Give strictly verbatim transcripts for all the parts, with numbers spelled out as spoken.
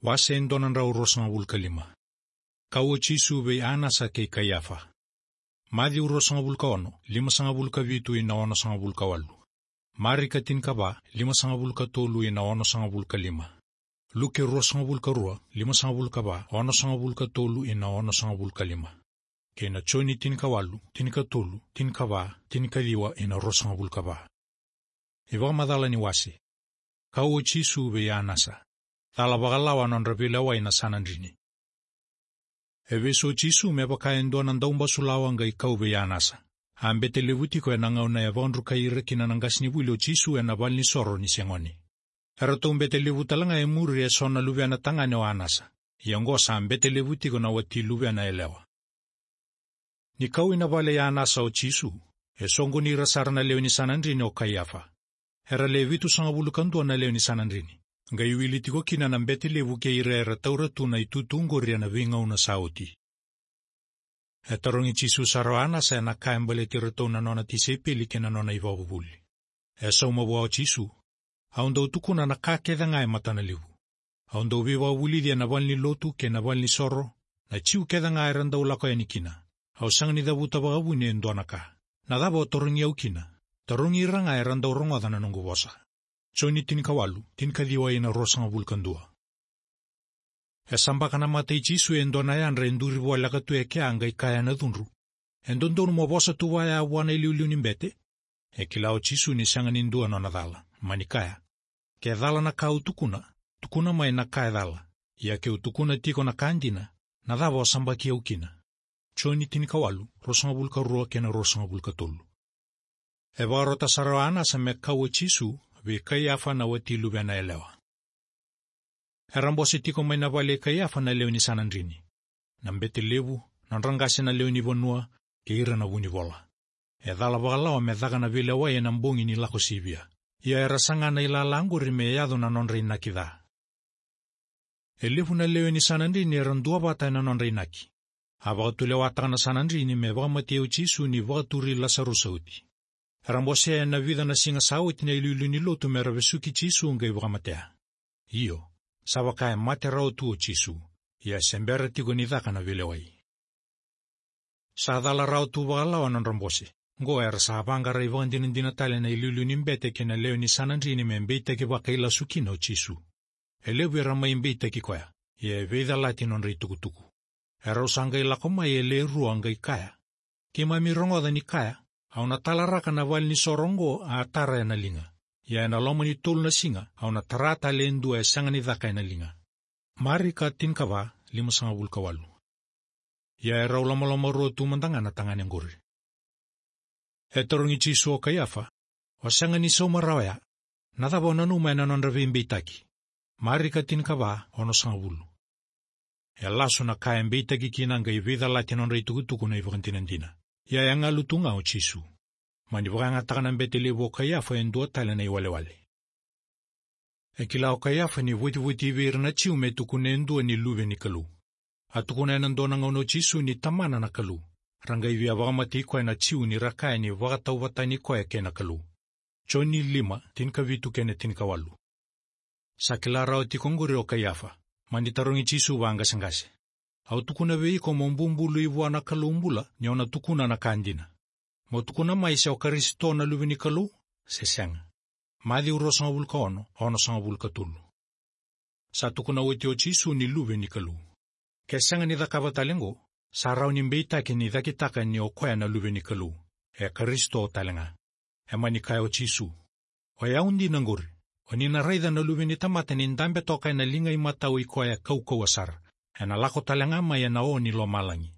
Wase e dua na drau ruasagavulu ka lima. Kau o Jisu vei Anasa kei Kaiafa. Maciu ruasagavulu ka ono, limasagavulu ka vitu ina onosagavulu ka walu. Marika tinikava, limasagavulu ka tolu ina onosagavulu ka lima. Luke ruasagavulu ka rua, limasagavulu ka va, onosagavulu ka tolu ina onosagavulu ka lima. Kei na Joni tinikawalu, tinikatolu, tinikava, tinikaciwa ina ruasagavulu ka va. iVakamacala ni wase. Kau o Jisu vei Anasa. Cala vakalawa nodra veilewai na Sanadrini. E vesu o Jisu me vaka e dua na daubasu lawa qai kau vei Anasa. A bete levu tiko ena gauna e vakadrukai ira kina na qasenivuli o Jisu ena valenisoro ni se gone. Eratou bete levu tale ga e muri eso na luvena tagane o Anasa. Ia oqo sa bete levu tiko na wati luvena yalewa. Ni kau ina vale i Anasa o Jisu, e soqoni ira sara na lewe ni Sanadrini o Kaiafa. Era le vitusagavulu ka dua na lewe ni Sanadrini. Qai wili tiko kina na bete levu kei ira era taura tu na itutu qori ena veigauna sa oti. E tarogi Jisu sara o Anasa ena ka e baleti iratou na nona tisaipeli kei na nona ivakavuvuli. E sauma vua o Jisu. Au dau tukuna na ka kece ga e matana levu. Au dau veivakavulici ena valenilotu kei na valenisoro, na Jiu kece ga era dau lako yani kina. Au sega ni cavuta vakavuni e dua na ka. Na cava o tarogi au kina? Tarogi ira ga era dau rogoca na noqu vosa. Joni tinikawalu, tinikaciwa ina ruasagavulu ka dua. E sabaka na mata i Jisu e dua na yadra e duri voleka tu e kea qai kaya ena cudru. E dodonu mo vosa tu vaya vua na iliuliu ni bete? E kila o Jisu ni sega ni dua nona cala, mani kaya. Ke cala na ka au tukuna, tukuna mai na ka e cala. Ia ke u tukuna tiko na ka dina, na cava o sabaki au kina? Joni tinikawalu, ruasagavulu ka rua kei na ruasagavulu ka tolu. E vakarota sara o Anasa me kau o Jisu vei Kaiafa na wati luvena yalewa. Era bose tiko mai na vale i Kaiafa na lewe ni Sanadrini. Na bete levu, nodra qase na lewe ni vanua, kei ira na vunivola. E cala vakalawa me caka na veilewai ena bogi ni Lako Sivia. Ia era saga na ilala qori me yaco na nodra inaki ca. E levu na lewe ni Sanadrini era duavata ena nodra inaki. A vakatulewataka na Sanadrini me vakamatei o Jisu ni vakaturi Lasarusa oti. Era bosea ena vica na siga sa oti na iliuliu ni lotu mera vesuki Jisu qai vakamatea. Io, sa vaka e mate rawa tu o Jisu. Ia se bera tiko ni caka na veilewai. Sa cala rawa tu vakalawa nodra bose. Qo era sa vaqara ivakadinadina tale na iliuliu ni bete kei na lewe ni Sanadrini me beitaki vakailasu kina o Jisu. E levu era mai beitaki koya, ia e veicalati nodra itukutuku. Erau sa qai lako mai e le rua qai kaya. Keimami rogoca ni kaya, au na talaraka na valenisoro oqo a tara ena liga. Ia ena loma ni tolu na siga, au na tara tale e dua e sega ni caka ena liga. Marika tinikava, limasagavulu ka walu. Ia erau lomalomarua tu mada ga na tagane qori. E tarogi Jisu o Kaiafa, o sega ni sauma rawa ya, na cava o nanuma ena nodra veibeitaki? Marika tinikava, onosagavulu. E lasu na ka e beitaki kina qai veicalati nodra itukutuku na ivakadinadina. Ia e galu tu ga o Jisu. Mani vakayagataka na bete levu o Kaiafa e dua tale na iwalewale. E kila o Kaiafa ni votivotivi ira na Jiu me tukuna e dua ni luve ni Kalou. A tukuna ena dua na gauna o Jisu ni tamana na Kalou. Ra qai via vakamatei koya na Jiu ni ra kaya ni vakatauvatani koya kei na Kalou. Joni lima, tinikavitu kei na tinikawalu. Sa kila rawa tiko qori o Kaiafa, mani tarogi Jisu vaqaseqase. Au tukuna vei iko mo bubului vua na Kalou bula, ni o na tukuna na ka dina. Mo tukuna mai se o Karisito na luve ni Kalou, se sega. Maciu ruasagavulu ka ono, onosagavulu ka tolu. Sa tukuna oti o Jisu ni luve ni Kalou. Ke sega ni cakava tale qo, sa rawa ni beitaki ni cakitaka ni o koya na luve ni Kalou. E Karisito tale ga. E mani kaya o Jisu. O yau dina qori, o ni na raica na luve ni tamata ni dabe toka ena liga imatau i koya e kaukauwa sara. Ena lako tale ga mai ena o ni lomalagi.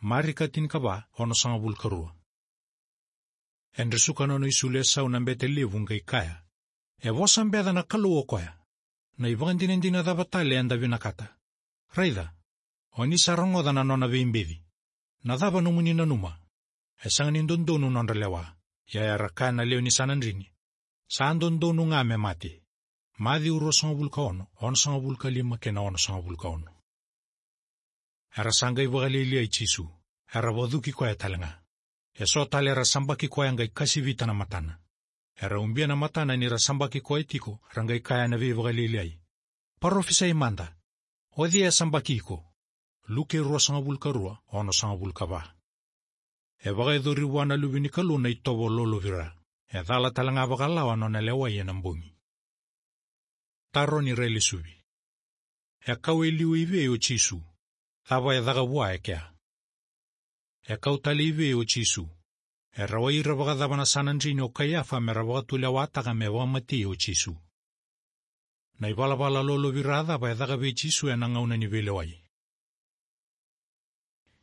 Marika tinikava, onosagavulu ka rua. E dresuka nona isulu e sau na bete levu qai kaya. E vosa beca na Kalou o koya. Na ivakadinadina cava tale eda vinakata? Raica, o ni sa rogoca na nona veibeci. Na cava nomuni nanuma? E sega ni dodonu nodra lewa. Ia era kaya na lewe ni Sanadrini. Sa dodonu ga me mate. Maciu ruasagavulu ka ono, onosagavulu ka lima kei na onosagavulu ka ono. Era sa qai vakalialiai Jisu. Era vacuki koya tale ga. E so tale era sabaki koya qai kasivita na matana. Era ubia na matana ni ra sabaki koya tiko, ra qai kaya na veivakalialiai. Parofisai mada, O cei e sabaki iko? Luke ruasagavulu ka rua, onosagavulu ka va. E vakayacori vua na Luve ni Kalou na itovo lolovira. E cala tale ga vakalawa na nona lewai ena bogi. Taro ni railesuvi. E kau e liu i vei o Jisu? Cava e caka vua e kea? E kau tale i vei o Jisu? E rawai ira vakacava na Sanadrini o Kaiafa me ra vakatulewataka me vakamatei o Jisu? Na ivalavala lolovira cava e caka vei Jisu ena gauna ni veilewai?